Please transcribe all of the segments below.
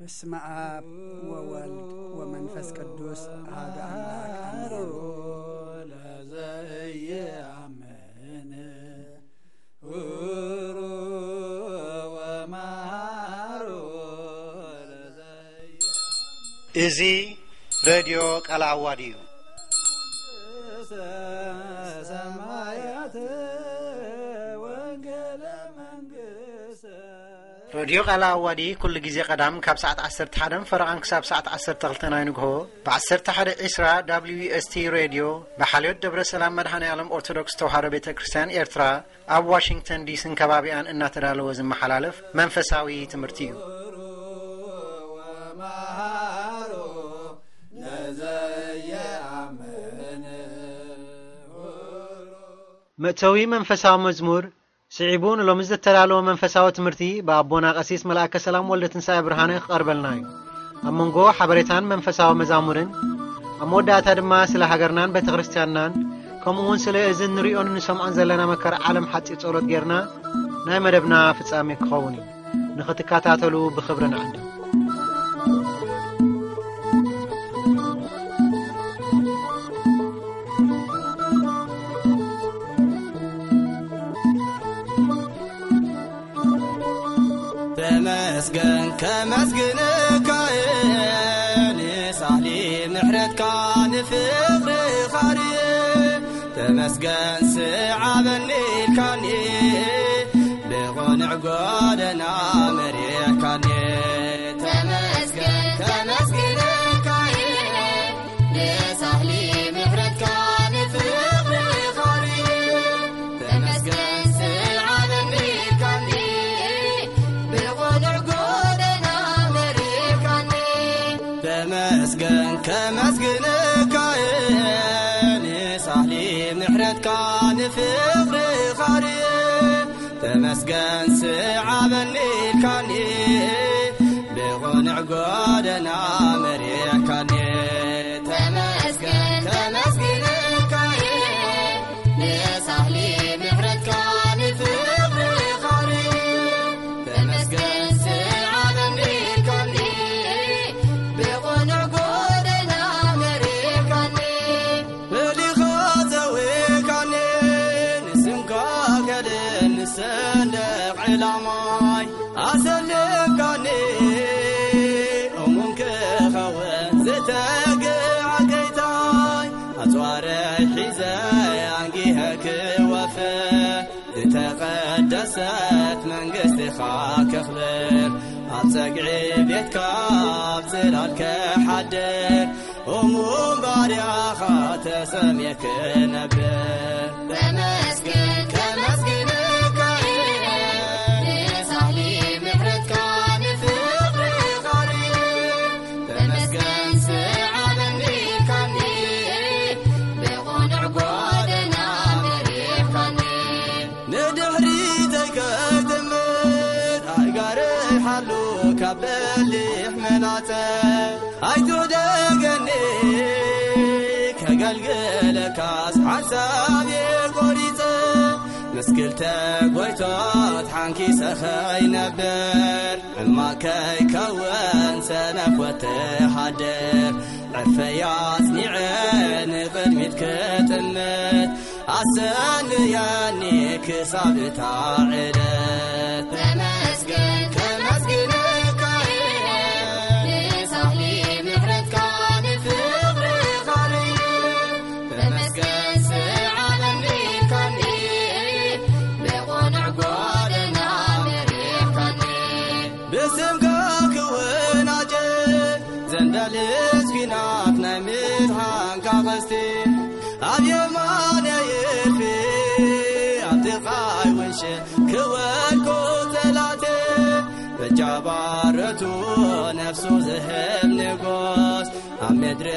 በስመ አብ ወወልድ ወመንፈስ ቅዱስ አሐዱ አምላክ አሜን። ለዘየአምን ሁሩ ወመሃሩ ለዘየ- እዚ ሬድዮ ቃለ ዓዋዲ እዩ። ሰማያት ወንጌለ መንግስት ሬድዮ ቃለ ዓዋዲ ኩሉ ግዜ ቀዳም ካብ ሰዓት ዓሰርተ ሓደ ፈረቓን ክሳብ ሰዓት ዓሰርተ ክልተ ናይ ንግሆ ብ ዓሰርተ ሓደ ዕስራ ደብሊው ኤስ ቲ ሬድዮ ብሓልዮት ደብረ ሰላም መድኃኔ ዓለም ኦርቶዶክስ ተዋህዶ ቤተ ክርስቲያን ኤርትራ ኣብ ዋሽንግተን ዲስን ከባቢኣን እናተዳለወ ዝመሓላለፍ መንፈሳዊ ትምህርቲ እዩ። ወመሃሩ ለዘየአምን መእተዊ መንፈሳዊ መዝሙር ስዒቡ ንሎሚ ዝተዳለወ መንፈሳዊ ትምህርቲ ብኣቦና ቀሲስ መልኣከ ሰላም ወልደ ትንሳኤ ብርሃነ ክቐርበልና እዩ። ኣብ መንጎ ሓበሬታን መንፈሳዊ መዛሙርን ኣብ መወዳእታ ድማ ስለ ሃገርናን ቤተ ክርስቲያንናን ከምኡ እውን ስለ እዚ ንሪኦን ንሰምዖን ዘለና መከራ ዓለም ሓጺር ጸሎት ጌርና ናይ መደብና ፍጻሜ ክኸውን እዩ። ንኽትከታተሉ ብኽብሪ ንዕድም። ተመስገን ከመስግንካ እየ ንሳህሊ ምሕረትካ ንፍቕርኻ ርየ። ተመስገን ስዓበኒ ኢልካኒ ብቕኑዕ ጎደና መሪሕካኒ። ተመስገን ከመስግንካ እየ ንሳህሊ ምሕረትካ ንፍቕርኻ ርየ። ተመስገን ስዓበኒ ኢልካኒ ብቕኑዕ ጎደና መሪሕካኒ። ተመስገን ከመስግንካ እየ ንሳህሊ ምሕረትካ ንፍቕርኻ ርየ። ተመስገን ስዓበኒ ኢልካኒ ብቕኑዕ ጎደና መሪሕካኒ። ተመስገን ከመስግንካ እየ ንሳህሊ ምሕረትካ ንፍቕርኻ ርየ። ተመስገን ስዓበኒ ኢልካኒ ብቕኑዕ ጎደና መሪሕካኒ። ፈሊኻ ዘዊካኒ ንስምካ ከድን ንሰንደቕ ዕላማይ ኣሰልካኒ እሙን ክኸውን ዝተግዕ ጌታይ ኣጽዋረይ ሒዘ ኣንጊሀ ክወፍር ዝተቐደሰት መንግስትኻ ከኽብር ኣብ ጸግዒ ቤትካ ኣብ ጽላል ክሓድር እሙን ባርያኻ ተሰምየ ክነብር። ተመስገን ከመስግንካ እየ ንሳህሊ ምሕረትካ ንፍቕርኻ ርየ። ተመስገን ስዓበኒ ኢልካኒ ብቕኑዕ ጎደና መሪሕካኒ። ንድሕሪተይ ከይጥምት ኣእጋረይ ሓሉ ካብ በሊሕ መላጸ ኣይትውደገኒ ከገልግለካስ ሓንሳብ እየ ቆሪጸ። ምስ ክልተ ጎይቶት ሓንኪሰ ኸይነብር ሕማቅ ከይከውን ሰነፍ ወተሃደር ዕርፈይ ኣጽኒዐ ንቕድሚት ክጥምት ኣሰንያኒ ክሳብ እታ ዕለት። ተመስገን ከመስግነካ እየ ንሳህሊ ምሕረትካ ንፍቕርኻ ርየ። ተመስገን ስዓበኒ ኢልካኒ ብቕኑዕ ጎደና መሪሕካኒ። ብስምካ ክወናጀ ዘንዳልስ ኲናት ናይ ምድሓንካ ቐስቲ ኣብ የማነይ እልፊ ኣብ ጥቓይ ውንሸ ክወድቁ ጸላቴ በጃ ባረቱ ነፍሱ ዝህብ ንጉስ ኣብ ምድሪ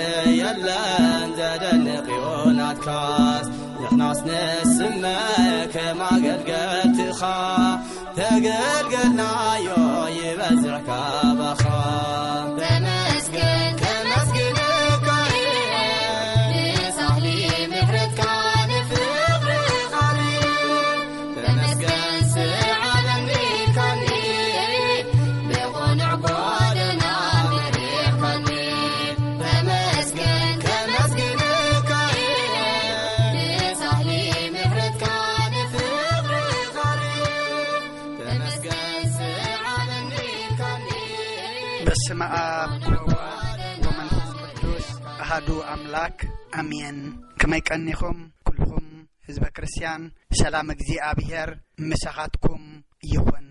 የለን ዘደንቕ እዩ ናትካስ ንሕናስ ንስመ ከም ኣገልገልትኻ ተገልገልናዮ ይበዝሕ ካባኻ። ተመስገን ከመስግነካ እየ ንሳህሊ ምሕረትካ ንፍቕርኻ ርየ። ተመስገን ስዓበኒ ኢልካኒ ብቕኑዕ ጎደና በስመ ኣብ ወወልድ ወመንፈስ ቅዱስ ኣሃዱ ኣምላክ ኣሜን። ከመይ ቀኒኹም ኩልኹም ህዝበ ክርስትያን? ሰላም እግዚኣብሔር ምሳኻትኩም ይኹን።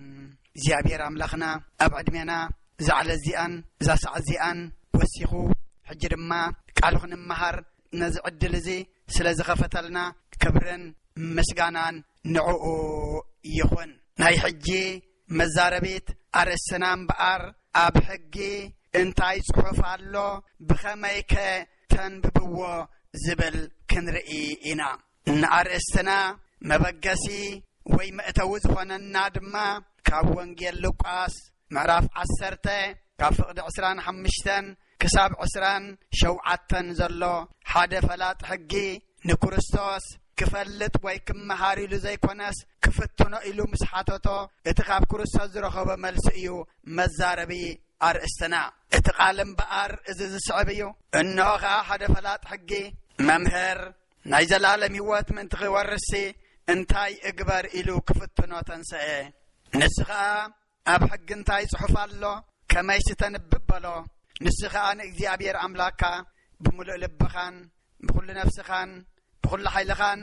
እግዚኣብሔር ኣምላኽና ኣብ ዕድሜና እዛ ዕለት እዚኣን እዛ ሰዓት እዚኣን ወሲኹ፣ ሕጂ ድማ ቃሉ ክንመሃር ነዚ ዕድል እዚ ስለ ዝኸፈተልና ክብርን ምስጋናን ንዕኡ ይኹን። ናይ ሕጂ መዛረቢት ኣርእስትና እምበኣር፣ ኣብ ሕጊ እንታይ ጽሑፍ ኣሎ፣ ብኸመይከ ተንብብዎ ዝብል ክንርኢ ኢና። ንኣርእስትና መበገሲ ወይ መእተዊ ዝኾነና ድማ ካብ ወንጌል ሉቃስ ምዕራፍ ዓሰርተ ካብ ፍቕዲ ዕስራን ሓሙሽተን ክሳብ ዕስራን ሸውዓተን ዘሎ ሓደ ፈላጥ ሕጊ ንክርስቶስ ክፈልጥ ወይ ክመሃር ኢሉ ዘይኮነስ ክፍትኖ ኢሉ ምስ ሓተቶ እቲ ካብ ክርስቶስ ዝረኸቦ መልሲ እዩ መዛረቢ ኣርእስትና። እቲ ቃል እምበኣር እዚ ዝስዕብ እዩ። እንሆ ኸኣ ሓደ ፈላጥ ሕጊ፣ መምህር፣ ናይ ዘላለም ህይወት ምእንቲ ክወርስሲ እንታይ እግበር ኢሉ ክፍትኖ ተንሰኤ። ንሱ ኸኣ ኣብ ሕጊ እንታይ ጽሑፍ ኣሎ ከመይሲ ተንብብ በሎ። ንሱ ኸኣ ንእግዚኣብሔር ኣምላካ ብምሉእ ልብኻን ብኹሉ ነፍስኻን ብኹሉ ሓይልኻን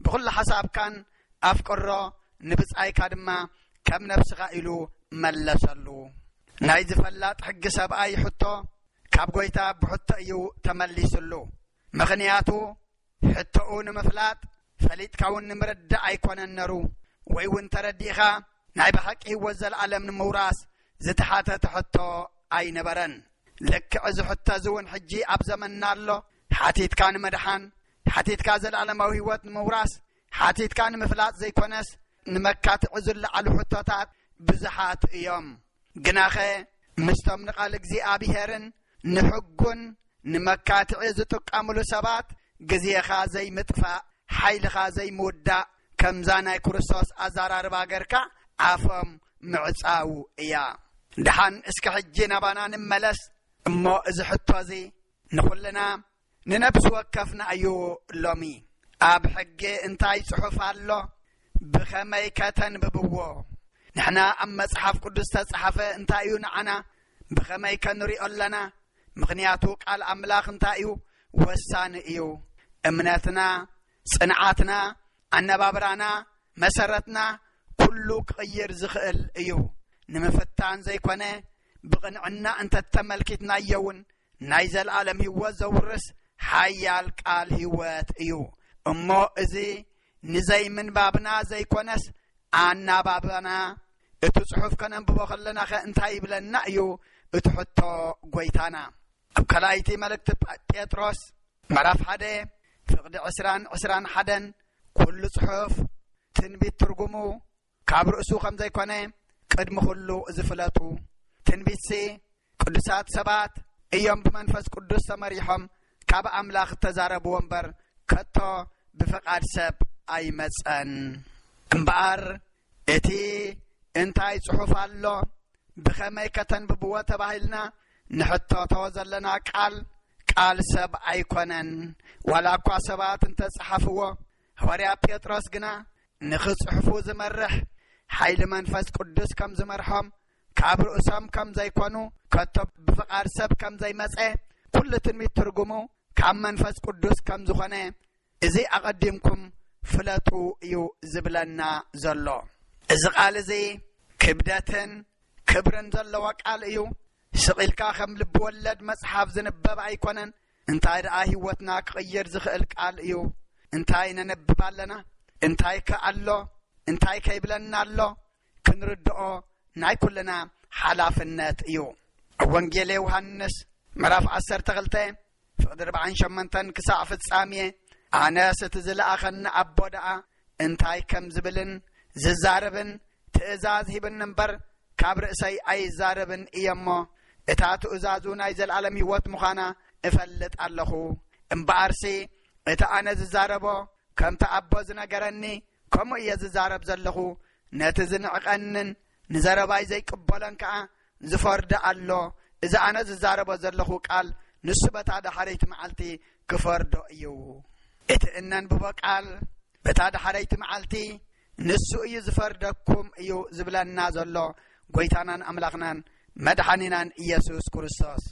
ብኹሉ ሓሳብካን ኣፍቅሮ፣ ንብጻይካ ድማ ከም ነፍስኻ ኢሉ መለሰሉ። ናይ ዝፈላጥ ሕጊ ሰብኣይ ሕቶ ካብ ጎይታ ብሕቶ እዩ ተመሊስሉ። ምኽንያቱ ሕቶኡ ንምፍላጥ ፈሊጥካ እውን ንምርዳእ ኣይኮነን ነሩ፣ ወይ እውን ተረዲእኻ ናይ ብሓቂ ህይወት ዘለኣለም ንምውራስ ዝተሓተተ ሕቶ ኣይነበረን። ልክዕ እዚ ሕቶ እዚ እውን ሕጂ ኣብ ዘመንና ኣሎ። ሓቲትካ ንምድሓን፣ ሓቲትካ ዘለኣለማዊ ህይወት ንምውራስ፣ ሓቲትካ ንምፍላጥ ዘይኮነስ ንመካትዒ ዝለዓሉ ሕቶታት ብዙሓት እዮም። ግናኸ ምስቶም ንቓል እግዚኣብሔርን ንሕጉን ንመካትዒ ዝጥቀምሉ ሰባት ግዜኻ ዘይምጥፋእ፣ ሓይልኻ ዘይምውዳእ፣ ከምዛ ናይ ክርስቶስ ኣዘራርባ ገርካ ኣፎም ምዕጻው እያ። ደሓን እስከ ሕጂ ናባና ንመለስ እሞ፣ እዚ ሕቶ እዚ ንኹልና ንነብሲ ወከፍና እዩ። ሎሚ ኣብ ሕጊ እንታይ ጽሑፍ ኣሎ? ብኸመይ ከተንብብዎ? ንሕና ኣብ መጽሓፍ ቅዱስ ተጻሓፈ እንታይ እዩ ንዓና? ብኸመይ ከንሪኦ ኣለና? ምኽንያቱ ቃል ኣምላኽ እንታይ እዩ? ወሳኒ እዩ። እምነትና፣ ጽንዓትና፣ ኣነባብራና፣ መሰረትና ኩሉ ክቕይር ዝኽእል እዩ። ንምፍታን ዘይኮነ ብቕንዕና እንተተመልኪትናዮ እውን ናይ ዘለኣለም ህይወት ዘውርስ ሓያል ቃል ህይወት እዩ። እሞ እዚ ንዘይምንባብና ዘይኮነስ ኣናባብና፣ እቲ ጽሑፍ ከነንብቦ ከለናኸ እንታይ ይብለና እዩ እቲ ሕቶ ጎይታና? ኣብ ካልኣይቲ መልእክቲ ጳ-፣ ጴጥሮስ ምዕራፍ ሓደ ፍቕዲ ዕስራን ዕስራን ሓደን፣ ኩሉ ጽሑፍ ትንቢት ትርጉሙ ካብ ርእሱ ከም ዘይኮነ ቅድሚ ኩሉ ዝፍለጡ። ትንቢትሲ ቅዱሳት ሰባት እዮም ብመንፈስ ቅዱስ ተመሪሖም ካብ ኣምላኽ እተዛረብዎ እምበር፣ ከቶ ብፍቓድ ሰብ ኣይመጸን። እምበኣር እቲ እንታይ ጽሑፍ ኣሎ፣ ብኸመይ ከተንብብዎ ተባሂልና ንሕተቶ ዘለና ቃል፣ ቃል ሰብ ኣይኮነን። ዋላ እኳ ሰባት እንተጸሓፍዎ፣ ሃዋርያ ጴጥሮስ ግና ንኽጽሕፉ ዝመርሕ ሓይሊ መንፈስ ቅዱስ ከም ዝመርሖም፣ ካብ ርእሶም ከም ዘይኮኑ፣ ከቶ ብፍቓድ ሰብ ከም ዘይመጸ፣ ኩሉ ትንቢት ትርጉሙ ካብ መንፈስ ቅዱስ ከም ዝኾነ፣ እዚ ኣቐዲምኩም ፍለጡ እዩ ዝብለና ዘሎ። እዚ ቃል እዚ ክብደትን ክብርን ዘለዎ ቃል እዩ። ስቕ ኢልካ ከም ልቢ ወለድ መጽሓፍ ዝንበብ ኣይኮነን። እንታይ ደኣ ህይወትና ክቕይር ዝኽእል ቃል እዩ። እንታይ ነነብብ ኣለና? እንታይ ከ ኣሎ? እንታይ ከይብለና ኣሎ? ክንርድኦ ናይ ኩልና ሓላፍነት እዩ። ኣብ ወንጌል ዮሃንስ ምዕራፍ ዓሰርተ ክልተ ፍቕዲ ኣርባዓን ሸሞንተን ክሳዕ ፍጻሜ፣ ኣነስ እቲ ዝለኣኸኒ ኣቦ ደኣ እንታይ ከም ዝብልን ዝዛረብን ትእዛዝ ሂብኒ እምበር፣ ካብ ርእሰይ ኣይዛረብን እየ እሞ፣ እታ ትእዛዙ ናይ ዘለኣለም ህይወት ምዃና እፈልጥ ኣለኹ። እምበኣርሲ እቲ ኣነ ዝዛረቦ ከምቲ ኣቦ ዝነገረኒ ከምኡ እየ ዝዛረብ ዘለኹ። ነቲ ዝንዕቐንን ንዘረባይ ዘይቅበሎን ከኣ ዝፈርዶ ኣሎ። እዚ ኣነ ዝዛረቦ ዘለኹ ቃል ንሱ በታ ዳሕረይቲ መዓልቲ ክፈርዶ እዩ። እቲ እነንብቦ ቃል በታ ዳሕረይቲ መዓልቲ ንሱ እዩ ዝፈርደኩም እዩ ዝብለና ዘሎ ጎይታናን ኣምላኽናን መድሓኒናን ኢየሱስ ክርስቶስ።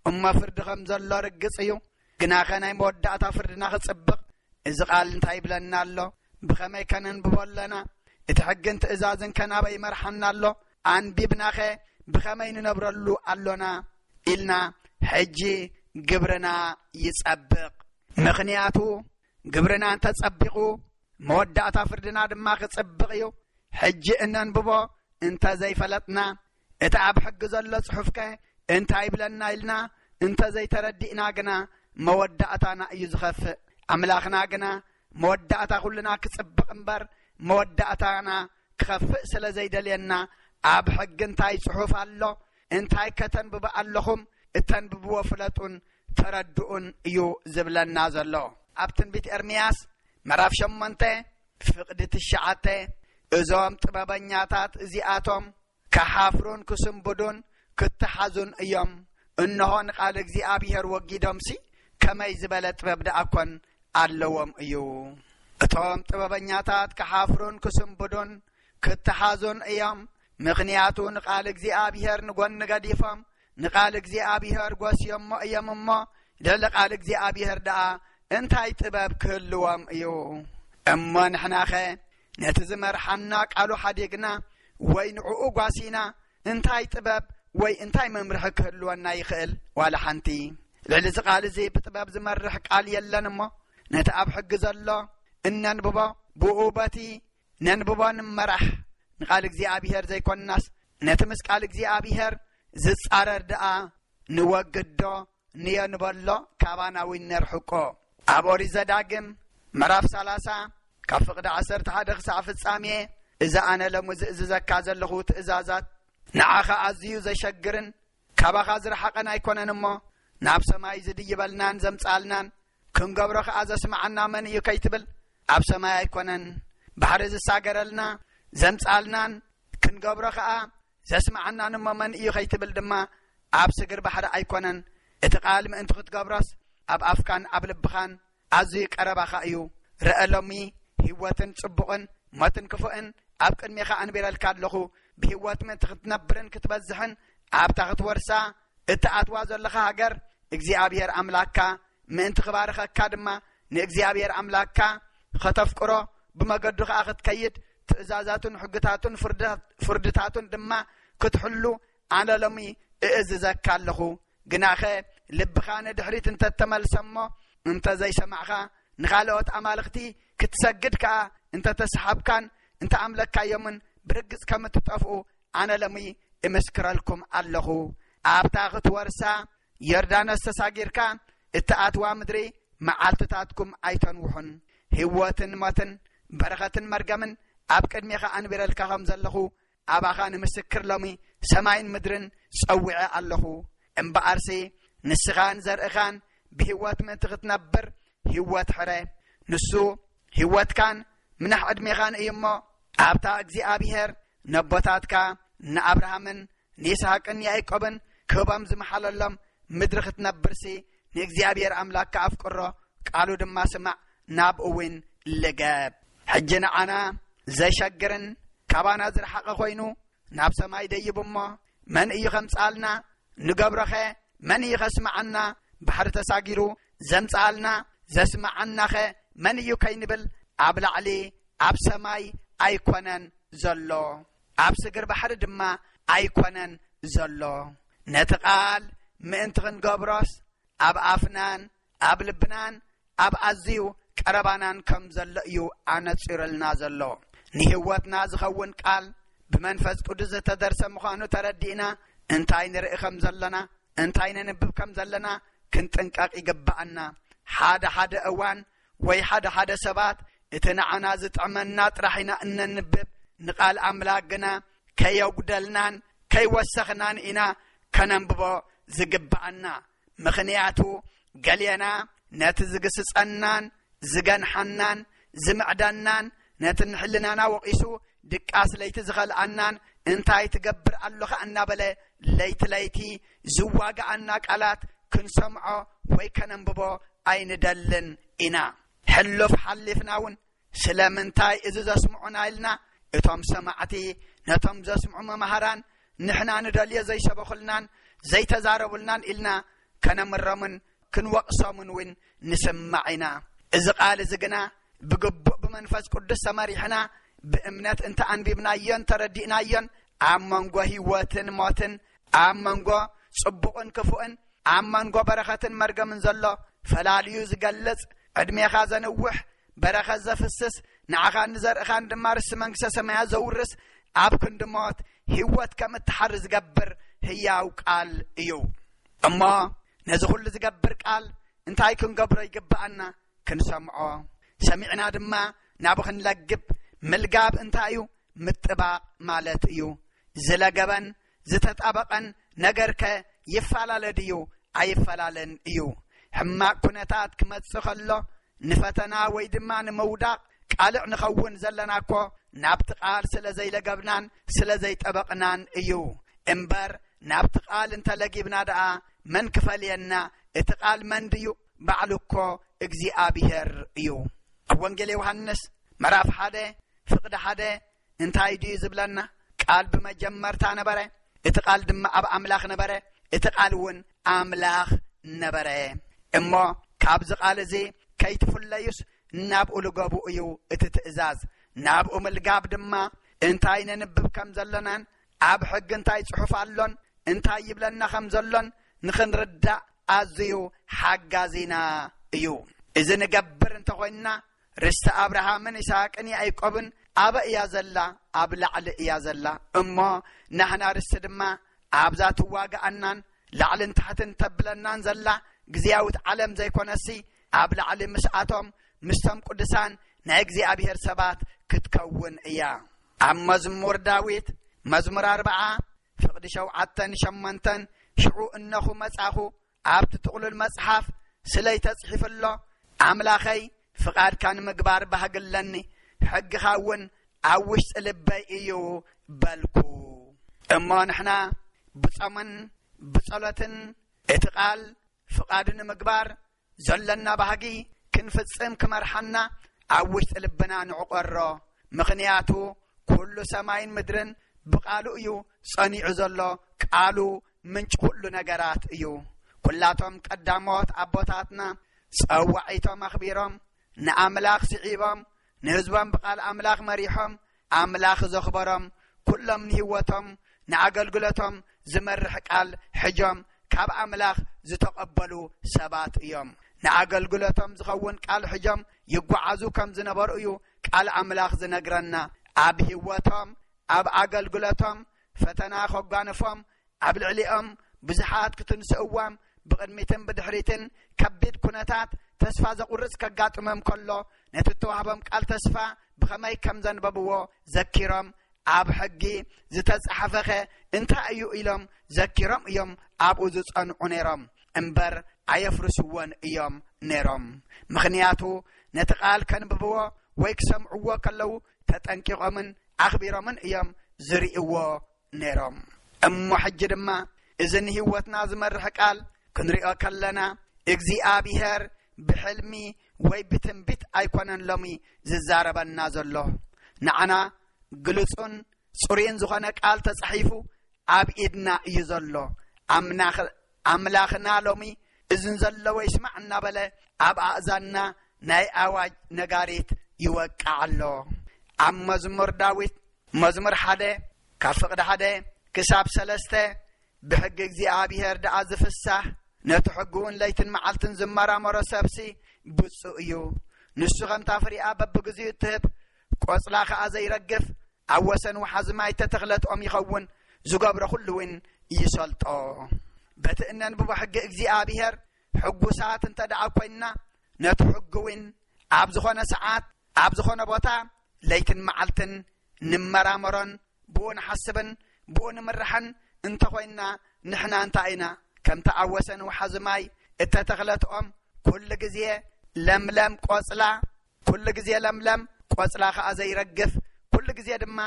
እሞ ፍርዲ ከም ዘሎ ርግጽ እዩ። ግናኸ ናይ መወዳእታ ፍርድና ክጽብቕ እዚ ቃል እንታይ ይብለና ኣሎ? ብኸመይ ከነንብቦ ኣለና? እቲ ሕግን ትእዛዝን ከ ናበይ ይመርሓና ኣሎ? ኣንቢብናኸ ብኸመይ ንነብረሉ ኣሎና? ኢልና ሕጂ ግብርና ይጸብቕ። ምኽንያቱ ግብርና እንተጸቢቑ መወዳእታ ፍርድና ድማ ክጽብቕ እዩ። ሕጂ እነንብቦ እንተ ዘይፈለጥና፣ እቲ ኣብ ሕጊ ዘሎ ጽሑፍከ እንታይ ይብለና ኢልና እንተ ዘይተረዲእና ግና መወዳእታና እዩ ዝኸፍእ። ኣምላኽና ግና መወዳእታ ኩልና ክጽብቕ እምበር መወዳእታና ክኸፍእ ስለ ዘይደልየና፣ ኣብ ሕጊ እንታይ ጽሑፍ ኣሎ፣ እንታይ ከተንብቡ ኣለኹም፣ እተንብብዎ ፍለጡን ተረድኡን እዩ ዝብለና ዘሎ። ኣብ ትንቢት ኤርምያስ ምዕራፍ ሸሞንተ ፍቕዲ ትሽዓተ፣ እዞም ጥበበኛታት እዚኣቶም ክሓፍሩን ክስንብዱን ክተሓዙን እዮም። እንሆ ንቓል እግዚኣብሔር ወጊዶምሲ ከመይ ዝበለ ጥበብ ደኣ ኮን ኣለዎም እዩ። እቶም ጥበበኛታት ክሓፍሩን ክስንብዱን ክተሓዙን እዮም። ምኽንያቱ ንቓል እግዚኣብሔር ንጎኒ ገዲፎም ንቓል እግዚኣብሔር ጎስዮሞ እዮም እሞ፣ ልዕሊ ቃል እግዚኣብሔር ደኣ እንታይ ጥበብ ክህልዎም እዩ? እሞ ንሕናኸ ነቲ ዝመርሓና ቃሉ ሓዲግና ወይ ንዕኡ ጓሲና እንታይ ጥበብ ወይ እንታይ መምርሒ ክህልወና ይኽእል? ዋላ ሓንቲ። ልዕሊ እዚ ቃል እዚ ብጥበብ ዝመርሕ ቃል የለን እሞ፣ ነቲ ኣብ ሕጊ ዘሎ እነንብቦ፣ ብኡ በቲ ነንብቦ ንመራሕ። ንቃል እግዚኣብሔር ዘይኮንናስ ነቲ ምስ ቃል እግዚኣብሔር ዝጻረር ደኣ ንወግዶ፣ ንየንበሎ፣ ካባና እውን ነርሕቆ። ኣብ ኦሪት ዘዳግም ምዕራፍ ሰላሳ ካብ ፍቕዲ ዓሰርተ ሓደ ክሳዕ ፍጻሜ፣ እዚ ኣነ ሎሚ ዝእዝዘካ ዘለኹ ትእዛዛት ንዓኻ ኣዝዩ ዘሸግርን ካባኻ ዝረሓቐን ኣይኮነን እሞ፣ ናብ ሰማይ ዝድይበልናን ዘምጽኣልናን ክንገብሮ ኸኣ ዘስምዓና መን እዩ ከይትብል፣ ኣብ ሰማይ ኣይኮነን ባሕሪ ዝሳገረልና ዘምጽኣልናን ክንገብሮ ኸኣ ዘስምዓናን እሞ መን እዩ ከይትብል ድማ፣ ኣብ ስግር ባሕሪ ኣይኮነን። እቲ ቃል ምእንቲ ክትገብሮስ ኣብ ኣፍካን ኣብ ልብኻን ኣዝዩ ቀረባኻ እዩ። ርአ ሎሚ ህይወትን ጽቡቕን ሞትን ክፉእን ኣብ ቅድሜኻ ኣንቢረልካ ኣለኹ። ብህይወት ምእንቲ ክትነብርን ክትበዝሕን ኣብታ ክትወርሳ እትኣትዋ ዘለኻ ሃገር እግዚኣብሔር ኣምላክካ ምእንቲ ክባርኸካ ድማ ንእግዚኣብሔር ኣምላክካ ኸተፍቅሮ ብመገዱ ኸኣ ክትከይድ ትእዛዛቱን ሕግታቱን ፍርድታት-፣ ፍርድታቱን ድማ ክትሕሉ ኣነ ሎሚ እእዝዘካ ኣለኹ። ግናኸ ልብኻ ንድሕሪት እንተተመልሰ እሞ እንተ ዘይሰማዕኻ ንኻልኦት ኣማልኽቲ ክትሰግድ ከኣ እንተ ተሰሓብካን እንተ ኣምለካዮምን ብርግጽ ከም እትጠፍኡ ኣነ ሎሚ እምስክረልኩም ኣለኹ። ኣብታ ክትወርሳ ዮርዳኖስ ተሳጊርካ እትኣትዋ ምድሪ መዓልትታትኩም ኣይተንውሑን። ህይወትን ሞትን በረኸትን መርገምን ኣብ ቅድሜኻ ኣንቢረልካ ከም ዘለኹ ኣባኻ ንምስክር ሎሚ ሰማይን ምድርን ጸዊዐ ኣለኹ። እምበኣርሲ ንስኻን ዘርእኻን ብህይወት ምእንቲ ክትነብር ህይወት ሕረ። ንሱ ህይወትካን ምናሕ ዕድሜኻን እዩ እሞ፣ ኣብታ እግዚኣብሔር ነቦታትካ ንኣብርሃምን ንይስሐቅን ንያዕቆብን ክህቦም ዝመሓለሎም ምድሪ ክትነብርሲ፣ ንእግዚኣብሔር ኣምላክካ ኣፍቅሮ፣ ቃሉ ድማ ስማዕ፣ ናብኡ እውን ልገብ። ሕጂ ንዓና ዘሸግርን ካባና ዝረሓቐ ኮይኑ ናብ ሰማይ ደይቡ እሞ፣ መን እዩ ኸምጽኣልና? ንገብሮኸ መን እዩ ኸስምዓና? ባሕሪ ተሳጊሩ ዘምጽኣልና ዘስምዓናኸ መን እዩ ከይንብል፣ ኣብ ላዕሊ ኣብ ሰማይ ኣይኮነን ዘሎ፣ ኣብ ስግር ባሕሪ ድማ ኣይኮነን ዘሎ። ነቲ ቃል ምእንቲ ኽንገብሮስ ኣብ ኣፍናን ኣብ ልብናን ኣብ ኣዝዩ ቀረባናን ከም ዘሎ እዩ ኣነጺሩልና ዘሎ። ንህይወትና ዝኸውን ቃል ብመንፈስ ቅዱስ ዝተደርሰ ምዃኑ ተረዲእና፣ እንታይ ንርኢ ከም ዘለና፣ እንታይ ነንብብ ከም ዘለና ክንጥንቀቕ ይግብኣና። ሓደ ሓደ እዋን ወይ ሓደ ሓደ ሰባት እቲ ንዓና ዝጥዕመና ጥራሕ ኢና እነንብብ፣ ንቃል ኣምላኽ ግና ከየጉደልናን ከይወሰኽናን ኢና ከነንብቦ ዝግብኣና። ምኽንያቱ ገሌና ነቲ ዝግስጸናን ዝገንሓናን ዝምዕደናን ነቲ ንሕልናና ወቒሱ ድቃስ ለይቲ ዝኸልኣናን እንታይ ትገብር ኣለኻ እናበለ ለይቲ ለይቲ ዝዋግኣና ቃላት ክንሰምዖ ወይ ከነንብቦ ኣይንደልን ኢና። ሕሉፍ ሓሊፍና እውን ስለምንታይ እዚ ዘስምዑና ኢልና እቶም ሰማዕቲ ነቶም ዘስምዑ መማህራን ንሕና ንደልዮ ዘይሰበኹልናን ዘይተዛረቡልናን ኢልና ከነምሮምን ክንወቕሶምን እውን ንስማዕ ኢና። እዚ ቃል እዚ ግና ብግቡእ ብመንፈስ ቅዱስ ተመሪሕና ብእምነት እንተ ኣንቢብናዮን ተረዲእናዮን ኣብ መንጎ ህይወትን ሞትን፣ ኣብ መንጎ ጽቡቕን ክፉእን፣ ኣብ መንጎ በረኸትን መርገምን ዘሎ ፈላልዩ ዝገልጽ፣ ዕድሜኻ ዘንውሕ፣ በረኸት ዘፍስስ፣ ንዓኻን ንዘርእኻን ድማ ርስቲ መንግስተ ሰማያት ዘውርስ፣ ኣብ ክንዲ ሞት ህይወት ከም እትሓሪ ዝገብር ህያው ቃል እዩ። እሞ ነዚ ኩሉ ዝገብር ቃል እንታይ ክንገብሮ ይግብኣና? ክንሰምዖ፣ ሰሚዕና ድማ ናብኡ ክንለግብ። ምልጋብ እንታይ እዩ? ምጥባቕ ማለት እዩ። ዝለገበን ዝተጣበቐን ነገርከ ይፈላለ ድዩ? ኣይፈላለን እዩ። ሕማቕ ኩነታት ክመጽእ ከሎ ንፈተና ወይ ድማ ንምውዳቕ ቃልዕ ንኸውን ዘለና እኮ ናብቲ ቃል ስለ ዘይለገብናን ስለ ዘይጠበቕናን እዩ። እምበር ናብቲ ቃል እንተለጊብና ደኣ መን ክፈልየና? እቲ ቃል መን ድዩ? ባዕሉ እኮ እግዚኣብሄር እዩ። ኣብ ወንጌል ዮሃንስ ምዕራፍ ሓደ ፍቕዲ ሓደ እንታይ ድዩ ዝብለና? ቃል ብመጀመርታ ነበረ፣ እቲ ቃል ድማ ኣብ ኣምላኽ ነበረ፣ እቲ ቃል እውን ኣምላኽ ነበረ። እሞ ካብዚ ቃል እዚ ከይትፍለዩስ ናብኡ ልገቡ እዩ እቲ ትእዛዝ። ናብኡ ምልጋብ ድማ እንታይ ነንብብ ከም ዘሎናን ኣብ ሕጊ እንታይ ጽሑፍ ኣሎን እንታይ ይብለና ከም ዘሎን ንኽንርዳእ ኣዝዩ ሓጋዚና እዩ። እዚ ንገብር እንተኾይንና ርስቲ ኣብርሃምን ይስሐቅን ያዕቆብን ኣበ እያ ዘላ? ኣብ ላዕሊ እያ ዘላ። እሞ ናህና ርስቲ ድማ ኣብዛ ትዋግኣናን ላዕልን ታሕትን ተብለናን ዘላ እግዚኣብት ዓለም ዘይኮነሲ ኣብ ላዕሊ ምስኣቶም ምስቶም ቅዱሳን ናይ እግዚኣብሔር ሰባት ክትከውን እያ። ኣብ መዝሙር ዳዊት መዝሙር ኣርብዓ ፍቕዲ ሸውዓተን ሸሞንተን ሽዑ እነኹ መጻኹ ኣብቲ ጥቕሉል መጽሓፍ ስለይ ተጽሒፉ ኣሎ፣ ኣምላኸይ ፍቓድካ ንምግባር ባህጊ ኣለኒ፣ ሕግኻ እውን ኣብ ውሽጢ ልበይ እዩ በልኩ። እሞ ንሕና ብጾምን ብጸሎትን እቲ ቃል ፍቓዱ ንምግባር ዘለና ባህጊ ክንፍጽም ክመርሓና ኣብ ውሽጢ ልብና ንዕቆሮ። ምኽንያቱ ኩሉ ሰማይን ምድርን ብቃሉ እዩ ጸኒዑ ዘሎ። ቃሉ ምንጭ ኩሉ ነገራት እዩ። ኩላቶም ቀዳሞት ኣቦታትና ጸዋዒቶም ኣኽቢሮም፣ ንኣምላኽ ስዒቦም፣ ንህዝቦም ብቃል ኣምላኽ መሪሖም፣ ኣምላኽ ዘኽበሮም፣ ኩሎም ንህይወቶም ንኣገልግሎቶም ዝመርሕ ቃል ሕጆም ካብ ኣምላኽ ዝተቐበሉ ሰባት እዮም። ንኣገልግሎቶም ዝኸውን ቃል ሕጆም ይጓዓዙ ከም ዝነበሩ እዩ ቃል ኣምላኽ ዝነግረና። ኣብ ህይወቶም፣ ኣብ ኣገልግሎቶም ፈተና ከጓንፎም፣ ኣብ ልዕሊኦም ብዙሓት ክትንስእዎም፣ ብቕድሚትን ብድሕሪትን ከቢድ ኩነታት ተስፋ ዘቑርጽ ከጋጥሞም ከሎ፣ ነቲ እተዋህቦም ቃል ተስፋ ብኸመይ ከም ዘንበብዎ ዘኪሮም፣ ኣብ ሕጊ ዝተጻሕፈኸ እንታይ እዩ ኢሎም ዘኪሮም እዮም ኣብኡ ዝጸንዑ ነይሮም እምበር ኣየፍርስዎን እዮም ነይሮም። ምኽንያቱ ነቲ ቃል ከንብብዎ ወይ ክሰምዕዎ ከለዉ ተጠንቂቖምን ኣኽቢሮምን እዮም ዝርእይዎ ነይሮም። እሞ ሕጂ ድማ እዚ ንህይወትና ዝመርሕ ቃል ክንሪኦ ከለና እግዚኣብሔር ብሕልሚ ወይ ብትንቢት ኣይኮነን ሎሚ ዝዛረበና ዘሎ። ንዓና ግልጹን ጽሩይን ዝኾነ ቃል ተጻሒፉ ኣብ ኢድና እዩ ዘሎ። ኣምላኽና ሎሚ እዝን ዘለዎ ይስማዕ እናበለ ኣብ ኣእዛንና ናይ ኣዋጅ ነጋሪት ይወቅዕ ኣሎ። ኣብ መዝሙር ዳዊት መዝሙር ሓደ ካብ ፍቕዲ ሓደ ክሳብ ሰለስተ ብሕጊ እግዚኣብሔር ደኣ ዝፍሳህ ነቲ ሕጉውን ለይትን መዓልትን ዝመራመሮ ሰብሲ ብፁእ እዩ። ንሱ ከምታ ፍሪኣ በብግዚኡ እትህብ ቆጽላ ኸኣ ዘይረግፍ ኣብ ወሰን ወሓዚ ማይ እተተኽለት ኦም ይኸውን። ዝገብሮ ኩሉ እውን ይሰልጦ። በቲ እነንብቦ ሕጊ እግዚኣብሔር ሕጉሳት እንተ ደኣ ኮይንና ነቲ ሕጊ እውን ኣብ ዝኾነ ሰዓት ኣብ ዝኾነ ቦታ ለይትን መዓልትን ንመራመሮን ብኡ ንሓስብን ብኡ ንምርሕን እንተኾይንና ንሕና እንታይ ኢና? ከምቲ ኣብ ወሰን ወሓዚ ማይ እተተኽለት ኦም ኩሉ ግዜ ለምለም ቆጽላ ኩሉ ግዜ ለምለም ቆጽላ ኸኣ ዘይረግፍ ኩሉ ግዜ ድማ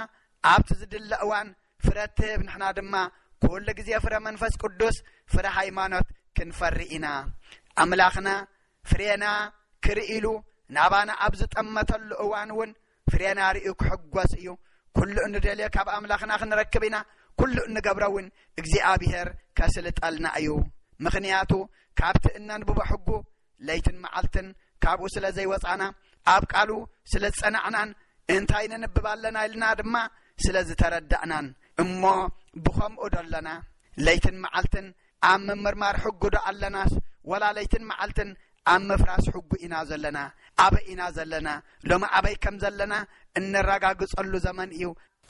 ኣብቲ ዝድለ እዋን ፍረ እትህብ ንሕና ድማ ኩሉ ግዜ ፍረ መንፈስ ቅዱስ ፍረ ሃይማኖት ክንፈሪ ኢና። ኣምላኽና ፍሬና ክርኢ ኢሉ ናባና ኣብ ዝጠመተሉ እዋን እውን ፍሬና ርእዩ ክሕጎስ እዩ። ኩሉ እንደልዮ ካብ ኣምላኽና ክንረክብ ኢና። ኩሉ እንገብሮ እውን እግዚኣብሔር ከስልጠልና እዩ። ምኽንያቱ ካብቲ እነንብቦ ሕጉ ለይትን መዓልትን ካብኡ ስለ ዘይወጻና፣ ኣብ ቃሉ ስለ ዝጸናዕናን እንታይ ነንብብ ኣለና ኢልና ድማ ስለ ዝተረዳእናን እሞ ብኸምኡ ዶ ኣለና? ለይትን መዓልትን ኣብ ምምርማር ሕጉ ዶ ኣለናስ ወላ ለይትን መዓልትን ኣብ ምፍራስ ሕጉ ኢና ዘለና? ኣበይ ኢና ዘለና? ሎሚ ኣበይ ከም ዘለና እነረጋግጸሉ ዘመን እዩ።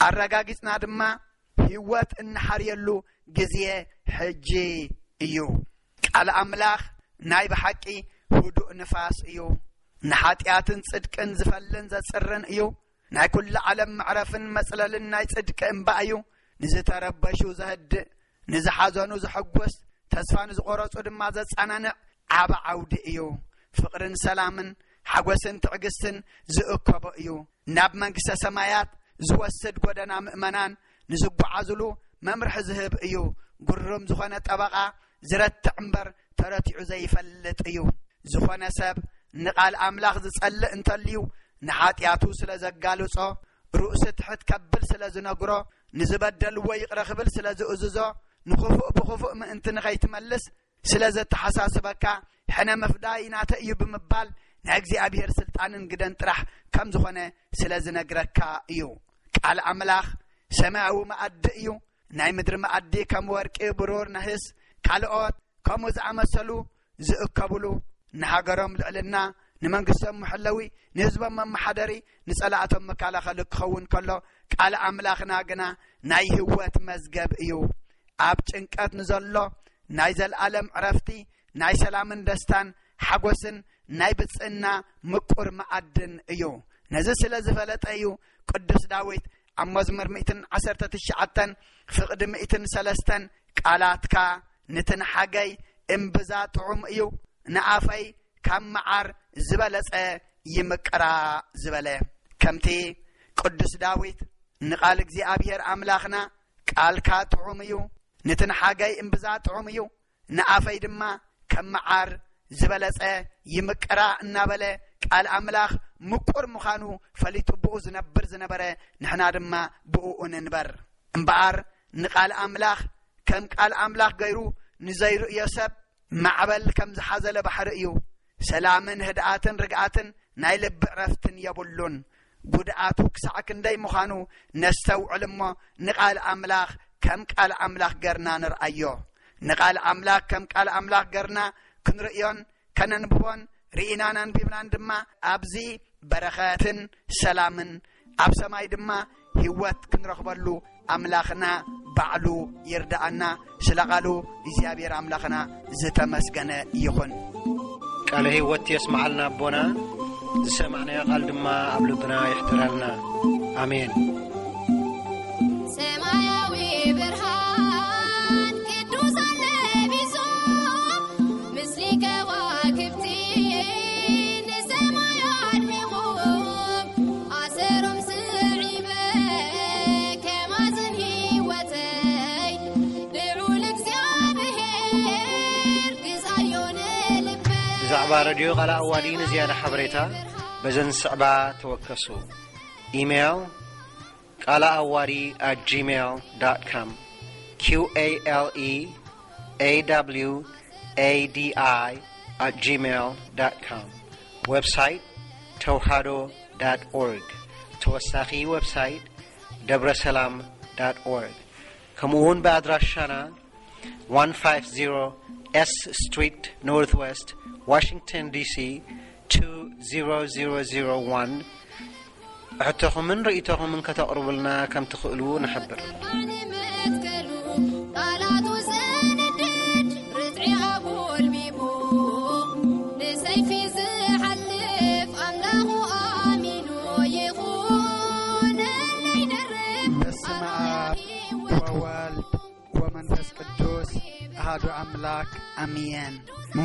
ኣረጋጊጽና ድማ ህይወት እንሓርየሉ ግዜ ሕጂ እዩ። ቃል ኣምላኽ ናይ ብሓቂ ህዱእ ንፋስ እዩ። ንሓጢኣትን ጽድቅን ዝፈልን ዘጽርን እዩ። ናይ ኩሉ ዓለም መዕረፍን መጽለልን ናይ ጽድቂ እምባ እዩ። ንዝተረበሹ ዘህድእ፣ ንዝሓዘኑ ዘሐጉስ፣ ተስፋ ንዝቖረጹ ድማ ዘጸናንዕ ዓቢ ዓውዲ እዩ። ፍቕርን ሰላምን ሓጎስን ትዕግስትን ዝእከቦ እዩ። ናብ መንግስተ ሰማያት ዝወስድ ጎደና ምእመናን ንዝጓዓዙሉ መምርሒ ዝህብ እዩ። ግሩም ዝኾነ ጠበቓ ዝረትዕ እምበር ተረቲዑ ዘይፈልጥ እዩ። ዝኾነ ሰብ ንቓል ኣምላኽ ዝጸልእ እንተልዩ፣ ንሓጢኣቱ ስለ ዘጋልጾ፣ ርእሱ ትሕት ከብል ስለ ዝነግሮ፣ ንዝበደልዎ ይቕረ ክብል ስለ ዝእዝዞ፣ ንኽፉእ ብኽፉእ ምእንቲ ንኸይትመልስ ስለ ዘተሓሳስበካ፣ ሕነ ምፍዳይ ናተ እዩ ብምባል ናይ እግዚኣብሔር ስልጣንን ግደን ጥራሕ ከም ዝኾነ ስለ ዝነግረካ እዩ። ቃል ኣምላኽ ሰማያዊ መኣዲ እዩ። ናይ ምድሪ መኣዲ ከም ወርቂ፣ ብሩር፣ ነህስ፣ ካልኦት ከምኡ ዝኣመሰሉ ዝእከብሉ፣ ንሃገሮም ልዕልና፣ ንመንግስቶም መሐለዊ፣ ንህዝቦም መመሓደሪ፣ ንጸላእቶም መከላኸሊ ክኸውን ከሎ፣ ቃል ኣምላኽና ግና ናይ ህይወት መዝገብ እዩ። ኣብ ጭንቀት ንዘሎ ናይ ዘልኣለም ዕረፍቲ፣ ናይ ሰላምን ደስታን ሓጎስን ናይ ብጽእና ምቁር መኣድን እዩ። ነዚ ስለ ዝፈለጠ እዩ ቅዱስ ዳዊት ኣብ መዝሙር ሚእትን ዓሰርተ ትሽዓተን ፍቕዲ ሚእትን ሰለስተን፣ ቃላትካ ንትንሓገይ እምብዛ ጥዑም እዩ፣ ንኣፈይ ካብ መዓር ዝበለጸ ይምቅራ ዝበለ። ከምቲ ቅዱስ ዳዊት ንቓል እግዚኣብሔር ኣምላኽና፣ ቃልካ ጥዑም እዩ፣ ንትንሓገይ እምብዛ ጥዑም እዩ፣ ንኣፈይ ድማ ከም መዓር ዝበለጸ ይምቅራ እናበለ፣ ቃል ኣምላኽ ምቁር ምዃኑ ፈሊጡ ብኡ ዝነብር ዝነበረ፣ ንሕና ድማ ብኡ ንንበር። እምበኣር ንቃል ኣምላኽ ከም ቃል ኣምላኽ ገይሩ ንዘይርእዮ ሰብ፣ ማዕበል ከም ዝሓዘለ ባሕሪ እዩ። ሰላምን ህድኣትን ርግኣትን ናይ ልቢ ዕረፍትን የብሉን። ጉድኣቱ ክሳዕ ክንደይ ምዃኑ ነስተውዕል እሞ፣ ንቃል ኣምላኽ ከም ቃል ኣምላኽ ገርና ንርኣዮ። ንቃል ኣምላኽ ከም ቃል ኣምላኽ ገርና ክንርእዮን ከነንብቦን፣ ርኢናን ኣንቢብናን ድማ ኣብዚ በረኸትን ሰላምን፣ ኣብ ሰማይ ድማ ህይወት ክንረኽበሉ ኣምላኽና ባዕሉ ይርድኣና። ስለ ቃሉ እግዚኣብሔር ኣምላኽና ዝተመስገነ ይኹን። ቃለ ህይወት የስምዓልና ኣቦና፣ ዝሰማዕናዮ ቃል ድማ ኣብ ልብና ይሕደረልና። ኣሜን። ሰማያዊ ብርሃን ቅዱሳን ለቢሶም፣ ምስሊ ከዋክብቲ ንሰማይ ኣድሚቖም፣ ኣሰሮም ስዒበ ከማዝን ህይወተይ፣ ልዑል እግዚኣብሔር ግዛዮ ንልበይ። ብዛዕባ ረድዮ ቃል ኣዋዲ ንዝያዳ ሓበሬታ በዘን ዝስዕባ ተወከሱ። ኢሜይል፣ ቃለ ኣዋዲ at gmail dot com፣ Q A L E A W A D I at gmail dot com። ዌብሳይት፣ ተውሃዶ dot org። ተወሳኺ ዌብሳይት፣ ደብረሰላም dot org። ከምኡ እውን ብኣድራሻና፣ one five zero S Street Northwest፣ ዋሽንግተን ዲሲ two zero zero zero one፣ ሕቶኹምን ርእይቶኹምን ከተቕርቡልና ከም ትኽእሉ ንሕብር። መትከሉ ቃላቱ ዘንድድ ርትዒ ኣጎልቢቡ፣ ንሰይፊ ዝሓልፍ ኣምላኹ ኣሚኑ ይኹነለይ ደርብ በስመ ኣብ ወወልድ ወመንፈስ ቅዱስ ኣሃዱ ኣምላክ ኣሜን።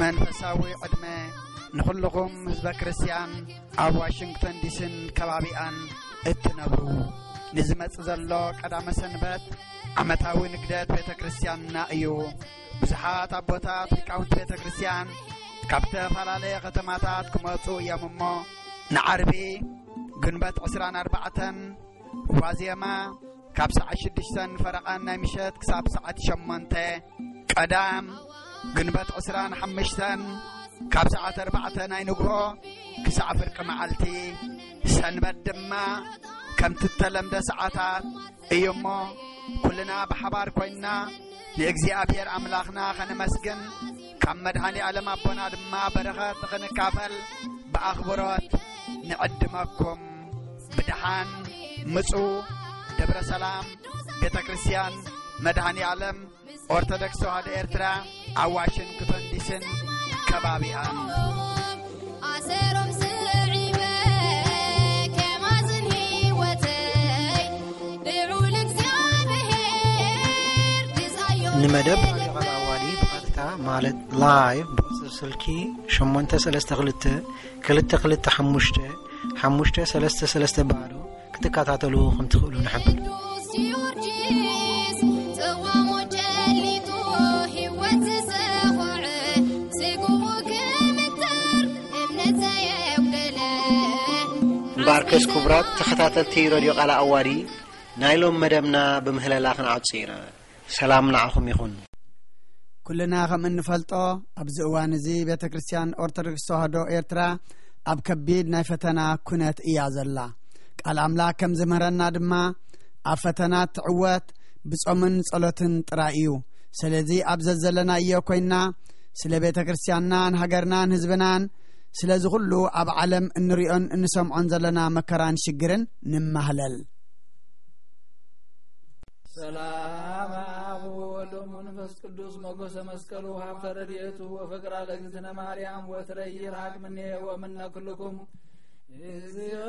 መንፈሳዊ ዕድመ ንኹልኹም ህዝበ ክርስቲያን ኣብ ዋሽንግተን ዲስን ከባቢኣን እትነብሩ፣ ንዝመጽእ ዘሎ ቀዳመ ሰንበት ዓመታዊ ንግደት ቤተ ክርስቲያንና እዩ። ብዙሓት ኣቦታት ሊቃውንቲ ቤተ ክርስቲያን ካብ ዝተፈላለየ ከተማታት ክመጹ እዮም እሞ፣ ንዓርቢ ግንቦት ዕስራን ኣርባዕተን ዋዜማ ካብ ሰዓት ሽዱሽተን ፈረቓን ናይ ምሸት ክሳብ ሰዓት ሸሞንተ፣ ቀዳም ግንበት ዕስራን ሓሙሽተን ካብ ሰዓት ኣርባዕተ ናይ ንግሆ ክሳዕ ፍርቂ መዓልቲ፣ ሰንበት ድማ ከምቲ እተለምደ ሰዓታት እዩ እሞ፣ ኩልና ብሓባር ኮይንና ንእግዚኣብሔር ኣምላኽና ኸነመስግን፣ ካብ መድኃኔ ዓለም ኣቦና ድማ በረኸት ኽንካፈል ብኣኽብሮት ንዕድመኩም። ብደሓን ምጹ። ደብረ ሰላም ቤተ ክርስቲያን መድኃኔ ዓለም ኦርቶዶክስ ተዋህዶ ኤርትራ ኣብ ዋሽንግቶን ዲስን ከባቢኣን። ኣሰሮም ስዒበ ከማዝን ህይወተይ ልዑል እግዚኣብሔር ግዛዮ። ንመደብ ራዲዮ ቃል ኣዋዲ ብቐጥታ ማለት ላይቭ ብቁጽሪ ስልኪ ሸሞንተ ሰለስተ ክልተ ክልተ ክልተ ሓሙሽተ ሓሙሽተ ሰለስተ ሰለስተ ባዶ ክትከታተሉ ከም ትኽእሉ ንሕብር። ቅዱስ ጊዮርጊስ ጽዋሙ ጨሊጡ ህይወት ዝሰኾዐ ስግኡ ክምተር እምነት ዘየጉደለ። እምበኣርከስ ክቡራት ተኸታተልቲ ረድዮ ቃል ኣዋዲ ናይ ሎም መደብና ብምህለላ ክንዓጹ ኢና። ሰላም ንዓኹም ይኹን። ኩልና ከም እንፈልጦ ኣብዚ እዋን እዚ ቤተ ክርስቲያን ኦርቶዶክስ ተዋህዶ ኤርትራ ኣብ ከቢድ ናይ ፈተና ኩነት እያ ዘላ። ቃል ኣምላኽ ከም ዝምህረና ድማ ኣብ ፈተና ትዕወት ብጾምን ጸሎትን ጥራይ እዩ። ስለዚ ኣብ ዘዘለናዮ ኮይንና ስለ ቤተ ክርስቲያንናን ሃገርናን ህዝብናን ስለዚ ኩሉ ኣብ ዓለም እንሪኦን እንሰምዖን ዘለና መከራን ሽግርን ንማህለል። ሰላም ኣብ ወወልድ ወመንፈስ ቅዱስ ሞገሰ መስቀሉ ሀብተ ረድኤቱ ወፍቅራ ለእግዝእትነ ማርያም ወትረ ይርሃቅ ምኔ ወምነ ኩልኩም። እግዚኦ